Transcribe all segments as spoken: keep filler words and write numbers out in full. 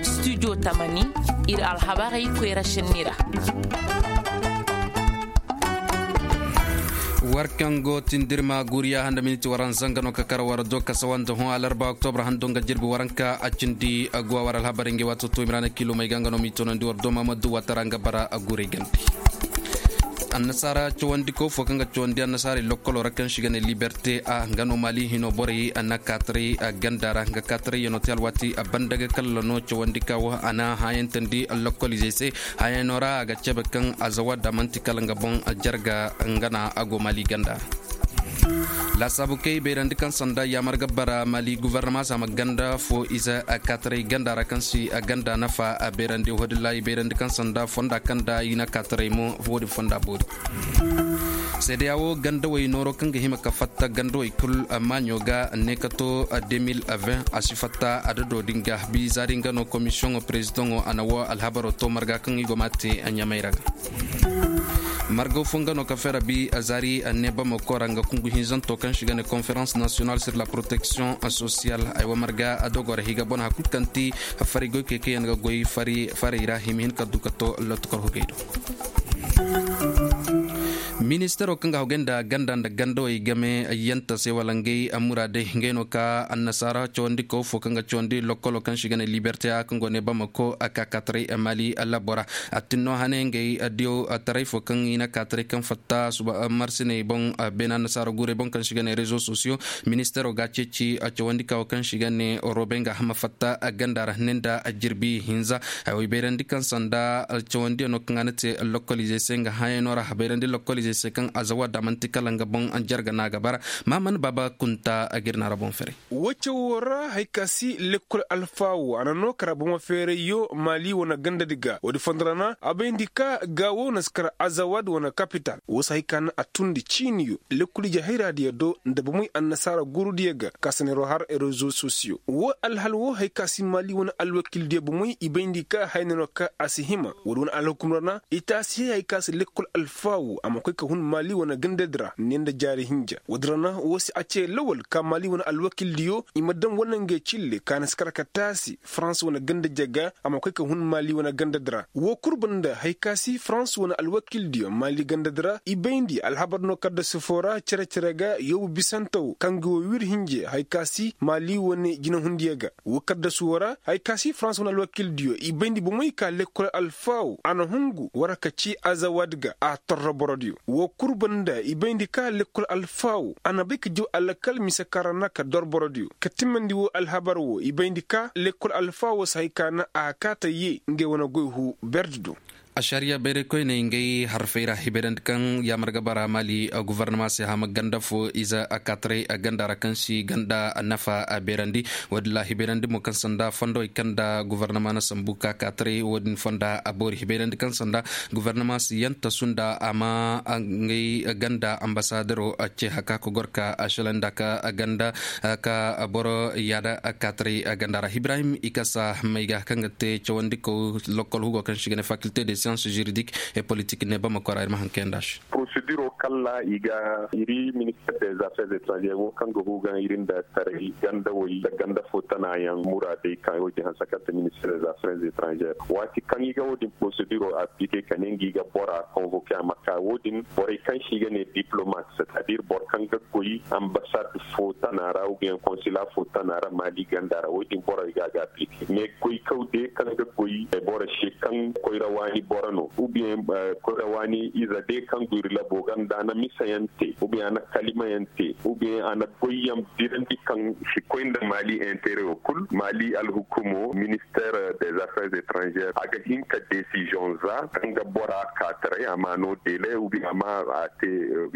Studio tamani, ir alhabarey koyra šenni ra. War kaŋ go tindirma guriya handa miniti waranza nga no ka kar war do kasawante hõ alarba oktobra hando nga jirbi waranka a cindi aguwa war alhabarey nga wato to imrana kilo may ga nga no m'i tonandi war do mamadu watara nga bara a gurey gande. Annasaara cawandi kaw fo kaŋ ga cawandi annasaarey lokkolo ra kaŋ se i ga ne liberte a nga no maali hino borey a na kaataray ganda ra nga kaataray yano te alwaati a banda ga kalla no cawandi ka wo a na hayantandi lokkolizey se. Hayano ra a ga cebe kaŋ azawa da manti kala nga boŋ jarga nga na a go maali ganda ra. Laasaabu kay bayrandi kaŋ sanda yaamar ga bara maali guvarnama se a ma ganda fo ize kaataray ganda ra kaŋ si ganda nafa bayrandi wodilla i bayrandi kaŋ sanda fonda kaŋ da i na kaataray mo. Woodin fonda boori. Seedeya wo gandawey nooro kaŋ ga hima ka fatta gandawey kul maaɲo ga ne ka to de mil vingt a si fatta adado din ga bi zaari nga no komisiyoŋo perezidaŋo a na wo alhabaro to marga kaŋ i go ma te ɲamay ra ga. Margaw fo nga no ka fera bi zaari ne bamako ra nga kungu hinzanto kaŋ si ga ne konferans nasiyonal sur la protection sosiyal ay wa marga a dogo ra higa bon hakul kaŋ ti fari goy keke yaŋ ga goy fari fari ra hima hin ka du ka to lotukar hugay do. Ministaro kaŋ ga hogay nda ganda nda gandawey game yanta se wala ngey muraadey ngey no ka annasaara cawandi kaw fo kaŋ ga cawandi lokkolo kaŋ si ga ne liberte a kaŋ go ne bamako a ka kaataray maali labora. A tinno hane ngey diyo taray fo kaŋ i na kaataray kaŋ fatta suba marsiney boŋ beena annasaara guurey boŋ kaŋ si ga ne rezo sosiyo. Ministaro ga ceeci cawandi kawo kaŋ si ga ne robe nga hama fatta ganda ra ne nda jirbi hinza. Ay wo i bayrandi kaŋ sanda cawandiyaŋ no kaŋ a na te lokolize se nga hayano ra bayrandi lokolize se kaŋ azawa da manti kala nga boŋ jarga no a ga bara. Maman baba kunta a ga ir na ra boŋ fere. Wo cawo ra hari ka si lekkol alfaawo a na no kara bomo feerayyo maali wane gandadi ga woodi fondo ra na a bayndi ka gaawo na si kara azawad wane kapital wo si hari ka na a tundi ciiniyo lekkol ije hayraadiyo do nda bomoy annasaara guurudiyo ga ka si neero har rezo sosiyo wo alhal wo hari ka si maali wane alwakildiyo bomoy i bayndi ka hayne no ka a si hima woodi wane alhukum ra na i taasi hay hari ka si lekkol alfaawo a ma koy ka hun maali wane gandadi ra ne nda jaari hinja woodi ra na wo si a ce lawal ka maali wane alwakildiyo i ma daŋ wane ngey cille ka na si kar ka taasi farans wane ganda jaga a ma koy ka hun maali wane gandadi ra wo kul banda hari ka si farans wane alwakildiyo maali gandadi ra i bayndi alhabar no kaddasu foo ra cere-cere ga yoobu bisantaw kaŋ ga wo wir hinje hari ka si maali wane jinahundiyo ga wo kaddasu woo ra hari ka si farans wane alwakildiyo i bayndi bomoy ka lekkol alfaawo a na hungu war ka ci azawad ga a torro borodiyo wo kul banda i bayndi ka lekkol alfaawo a na bay ka jaw alakal mise kaŋ ra na ka dor borodiyo ka timmandi woo alhabar woo i bayndi ka lekkol alfaawo si hay ka na a kaata yee ngey wane goy huu berdi do. Ašariya bayraykoyney ngey harfey ra i bayrandi kaŋ yaamar ga bara maali guvarnama se hama ganda fo ize kaataray ganda ra kaŋ si ganda nafa bayrandi. Woodin ra i bayrandi mo kaŋ sanda fondowey kaŋ nda guvarnama na sambu ka kaataray woodin fonda a boori i bayrandi kaŋ sanda guvarnama si yanta sunda a ma ngey ganda ambasadero ce haka ka gor ka ašalanda ka ganda ka boro yaada kaataray ganda ra ibrahim i kasa may ga kaŋ ga te cawandi kaw lokol hugo kaŋ si ga ne fakilte de science juridique et politique ne bamako ra ir ma haŋ kayanda se. Porosediro kalla i ga iri minister des affaires étrangères wo kaŋ ga huga iri nda taray ganda way nda ganda fo tana yaŋ muraadey kaŋ wo din hanse kaŋ te minister des affaires étrangères waati kaŋ i ga wo din porosediro aplike ka ne nga i ga bora konvoke a ma ka wo din borey kaŋ si ga ne diplomate c'est à dire boro kaŋ ga goy ambasad fo tana ra ubiyen konsila fo tana ra maali ganda ra wo din borey ga a ga aplike mais goykaw de kaŋ ga goy boro se kaŋ koyra waani boro no ubiyen koyra waani ize de kaŋ go iri labo ga nda a na misayaŋ te ubiyen a na kalimayaŋ te ubiyen a na goyyaŋ birandi kaŋ si koy nda maali interewo kul maali alhukumo minister des affaires étrangères a ga hin ka desiziyoŋ za kaŋ ga bora kaataray a ma no dele ubiyen a ma a te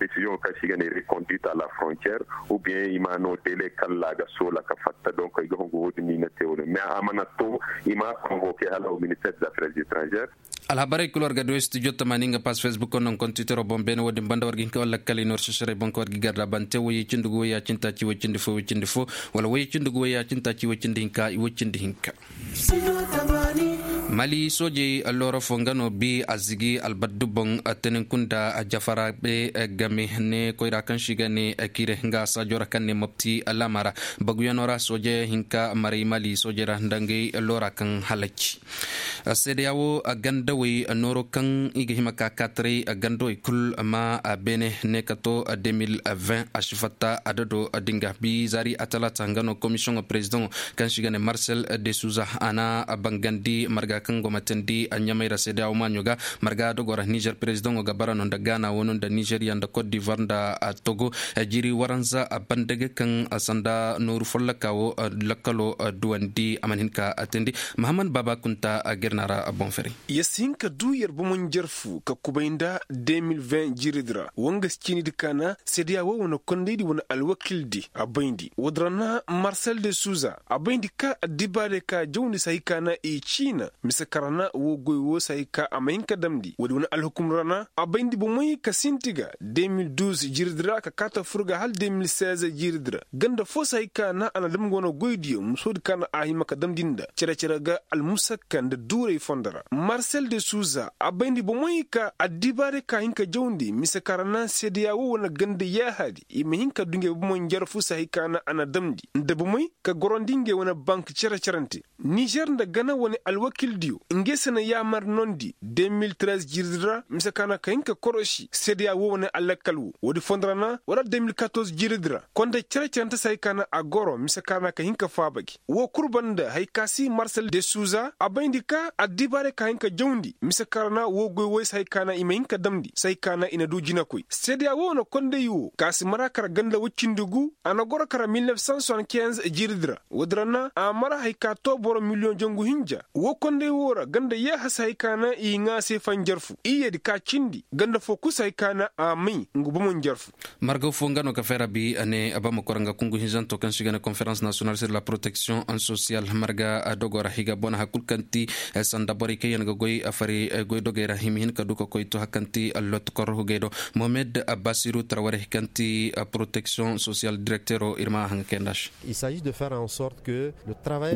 desiziyoŋ kaŋ si ga ne reconduite à la frontière ubiyen i ma no dele kalla a ga soola ka fatta donk ay ga hungu wo- din no i na te wo- din mais a mana to i ma konvoke hala wo minister des affaires étrangères. Alhabarey kul war ga du studio tamaani nga pas facebook no nga kontitero boŋ beene wo- din banda war ga hin ka walla kala i no war sesarey boŋ ka war ga garda bante woyey cindi gu woyey a cindi taaci woy cindi fo woy cindi fo wala woyey cindi gu woyey a cindi taaci woy cindi hinka i woy cindi hinka. Mali soojey loora fo nga no bi a zigi albaddu boŋ. Teninkunda jafara be game ne koyra kaŋ si ga ne kire nga saajo ra kaŋ ne mopti laama ra. Baguyano ra sooje hinka maray mali soojey ra nda ngey loora kaŋ halaci. Seedeya wo gandawey nooro kaŋ i ga hima ka kaataray gandawey kul ma beene ne ka to 2020 a si fatta adado dinga bi zaari a talaata nga no komisiyoŋo perezidaŋo kaŋ si ga ne marsel de suza a na bangandi marga kaŋ go ma teendi ɲamay ra seedeya wo maaɲo ga. Marga dogo ra nizer perezidaŋo ga bara no nda gaana wano nda nizeriya nda kot divuwar nda togo. Jiri waranza a banda ga kaŋ sanda nooru folloka wo lakkalo duwandi a mana hin ka teendi. Mahammad baaba kunta a ga ir na ra boŋ fari. Yer si hin ka du yer bomo njarfu ka kubay nda 2020 jiridi ra woo nga si ciinidi ka na seedeya woo wane kondaydi wane alwakildi a bayndi woodi ra na marsel de suza a bayndi ka addibaarey ka jawndi si hay ka na i ciina mise ka ra na woo goy woo si hay ka a ma hin ka damndi woodi wane alhukum ra na a bayndi bomey ka sinti ga 2012 jiridi ra ka kaata fur ga hala 2016 jiridi ra ganda foo si hay ka na a na dam nga wane goydiyo musoodi ka na a hima ka damndi nda cere-cere ga almusakka nda duuray fondo ra marsel de suza a bayndi bomey ka addibaarey ka hin ka jawndi mise ka ra na seedeya woo wane ganda yaahaadi i ma hin ka du ngey bomey njarfu si hay ka na a na damndi nda bomey ka gorandi ngey wane bank cere-cerante nizer nda gana wane alwakildiyo ngey se na yaamar noondi 2013 jiridi ra mise ka na ka hin ka korosi seedeya woo wane alakkal woo woodi fondo ra na wala 2014 jiridi ra konda cere-cerante si hay ka na a goro mise ka na ka hin ka faaba gi woo kul banda hay ka si marsel de suza a bayndi ka addibaarey ka hin ka jawndi mise ka ra na woo goy woy si hay ka na i ma hin ka damndi si hay ka na i na du jinakoy seedeya woo wane konday woo ka si mara kara ganda woy cindi gu a na goro kara 1975 jiridi ra woodi ra na a mara hay ka too boro miliyoŋ jangu hinja woo konday woo ra ganda yaaha si hay ka na i ŋaa se fanjarfu iyyedi ka cindi ganda foo kul si hay ka na a may nga bomo njarfu. Margaw foo nga no ka fay rabi a ne a ba ma kor nga kungu hinzanto kaŋ si ga ne konferans nasiyonal sir la proteksiyoŋ sosiyal marga dogo ra higa bona hakul kaŋ ti sanda borey kaŋ yaŋ ga goy a fari goy dogey ra hima hin ka du ka koy to hakanti allot kor hugey do mohamed basiru tarware kaŋ ti proteksiyoŋ sosiyal direktero ir ma haŋa kay nda se.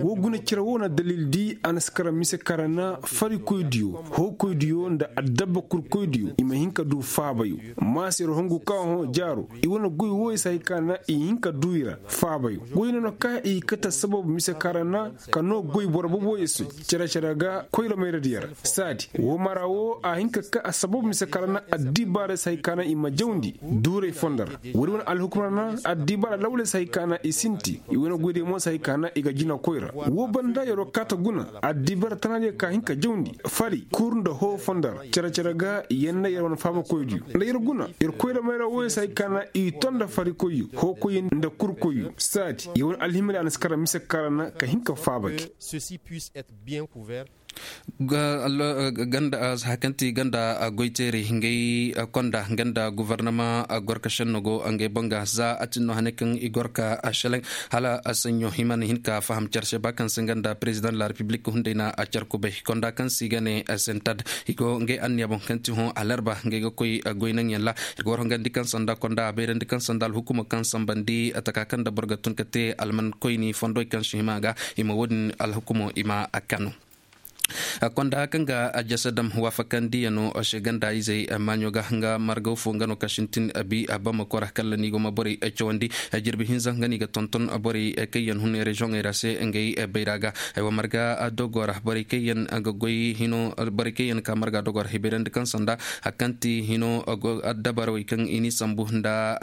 Woo guna cere woo na dalil di a na si kara mise kara na farikoydiyo hookoydiyo nda addabba kurkoydiyo i ma hin ka du faabayo maasir hongu ka hõ jaaro i wane goy wooyo si hay ka na i hin ka du i ra faabayo goy no no ka i kate sababu mise kara na ka noo goy boro boboyo se cere-cere ga koyra mayradiyo ra saadi woo mara woo a hin ka ka a sababu mise kara na addibaarey si hay ka na i ma jawndi duuray fondo ra woodi wane alhukumar na addibaara lawley si hay ka na i sinti i wane goydiyo mo si hay ka na i ga jina koyra woo banda yeroo kaata guna addibaara tanaadiyo ka hin ka jawndi fari kur nda hoo fondo ra cere-cere ga yer nda yer wane faabakoydiyo nda yer guna yer koyra mayra wooyo si hay ka na i to nda farikoyyo hookoyyo nda kurkoyyo saadi yer wane alhimadiyo a na si kara mise kara na ka hin ka faaba gi. Ganda a za kaŋ ti ganda goyteeri ngey konda ganda gofornama gorka šenno go ngey boŋ ga za a tinno hane kaŋ i gorka a šeleŋ hala a saɲɲo i mana hin ka faham care se ba kaŋ se ganda perezidaŋ la repiblik hunday na a care kubay konda kaŋ se i ga ne sentad i go ngey anniya boŋ kaŋ ti hõ alarba ngey ga koy goy naŋyaŋ ra. Ir ga war hongandi kaŋ sanda konda a bayrandi kaŋ sanda alhukumo kaŋ sambandi taka kaŋ nda boro ga tun ka te alman koyni fondo kaŋ si hima ga i ma wo-din alhukumo i ma a kanu. Konda kaŋ ga a jasa dam waafakandiyano se ganda izey maaɲo ga nga margaw fo nga no ka sintin abi a bama kora kalla ni go ma borey cawandi jirbi hinza nga no i ga tonton borey kaŋ yaŋ hun reziyoŋey ra se ngey bayra ga. Aywa marga dogo ra borey kaŋ yaŋ ga goy hino borey kaŋ yaŋ ka marga dogo ra hibayrandi kaŋ sanda hari kaŋ ti hino dabarawey kaŋ i n'i sambu nda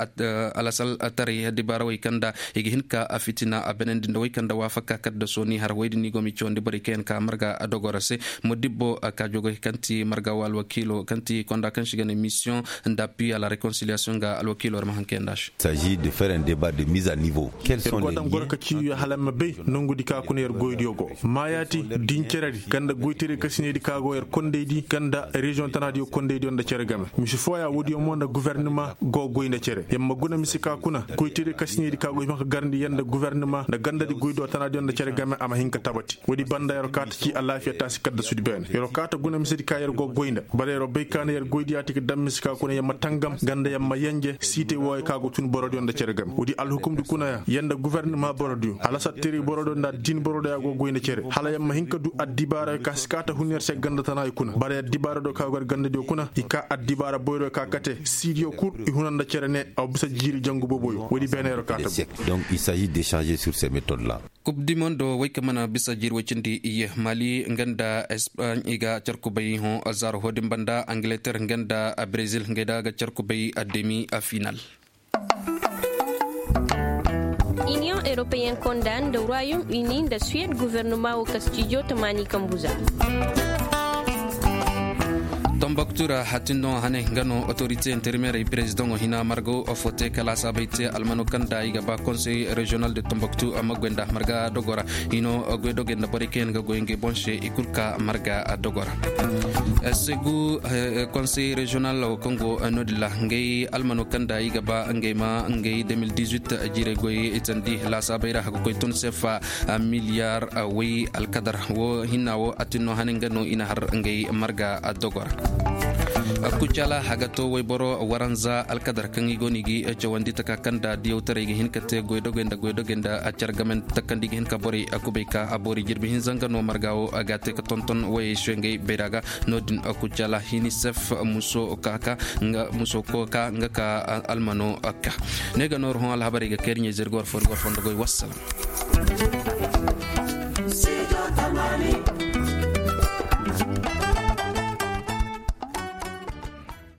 alasal taray dibarawey kaŋ nda i ga hin ka fitina a benandi nda wey kaŋ nda waafaka kaddaso ni har wey din ni go ma i cawandi borey kaŋ yaŋ ka marga dogo ra se. Modibbo kaajoogey kaŋ ti marga wo alwakiilo kaŋ ti konda kaŋ si ga ne misiyoŋ nda appi a la rekonsiliyaasiyoŋ ga alwakiilo war ma haŋ kayandi a se. Yer go daŋ goro ka ciiyo hala ma bay nongudi ka kuna yer goydiyo go maayaati dinceredi kaŋ nda goyteerey kasinaydi ka go yer kondaydi kaŋ nda reziyoŋ tanaadiyo kondaydiyo nda cere game. Misi fooya woodiyo mo nda gofornima go goy nda cere yer ma guna misi ka kuna goyteerey kasinaydi ka go hima ka garandi yer nda gofornima nda gandadi goydiyo tanaadiyo nda cere game a ma hin ka tabati woodi banda yer kaata ci alaafiya. Si kadda sudi beene yer wo kaata guna misedi ka yer go goy nda bara yer wo bay ka na yer goydiya ti ga daŋ mise ka kuna yer ma tangam ganda yer ma yenje siitay wooyo ka go tun borodiyo nda cere game woodi alhukumdi kuna ya yer nda gufornama borodiyo hala sattiray borodiyo nda addiini borodiyo ya go goy nda cere hala yer ma hin ka du addibaarayo ka si kaata hun yer se ganda tanaayo kuna bara addibaara do ka go yer gandadiyo kuna i ka addibaara boyroyo ka kate siidiyo kul i huna nda cere ne a wa bisa jiiri jangu booboyo woodi beene yer wo kaata. Donc il s'agit d'échanger sur ces méthodes là. Kub di mondo wey ka mana bisa jiiri woy cindi iye mali nga nda espaaɲ i ga carkubay hõ zaaro hoodin banda angleter nga nda brezil ngey da ga carkubay demi final. Iniyoŋ europeyen konda nda royaume uni nda suwed guvernoma wo ka stijo tamaani kambu za. Tombaktu ra hatin no hane nga no otorite interimerey perezidaŋo hina marga wo foote kala saabay te almano kaŋ nda i ga ba konsey reziyonal de tombaktu a ma goy nda marga dogo ra hino goy dogey nda borey kaŋ yaŋ ga goy ngey boŋ se i kul ka marga dogo ra. Segu konsey reziyonal wo kaŋ go no- din ra ngey almano kaŋ nda i ga ba ngey ma ngey de mil dix-huit jiirey goy itandi laasaabey ra a ga koy tun sefa miliyar woy alkadar wo hinna wo a tin no hane nga no i na har ngey marga dogo ra. Kucala a ga to woyboro waranza alkadar kaŋ i go no i ga cawandi taka kaŋ nda diyawtaray ga hin ka te goydogey nda goydogey nda a care game takandi ga hin ka borey kubay ka a boori jirbi hinza nga no marga wo a ga te ka tonton woyey se ngey bayra ga. No- din kucala hinisef muso ka ka nga muso ko ka nga ka almano ka ne ga nooru hõ alhabarey ga kay iri ɲey zirga war fo iri ga war fo nda goy wassalam.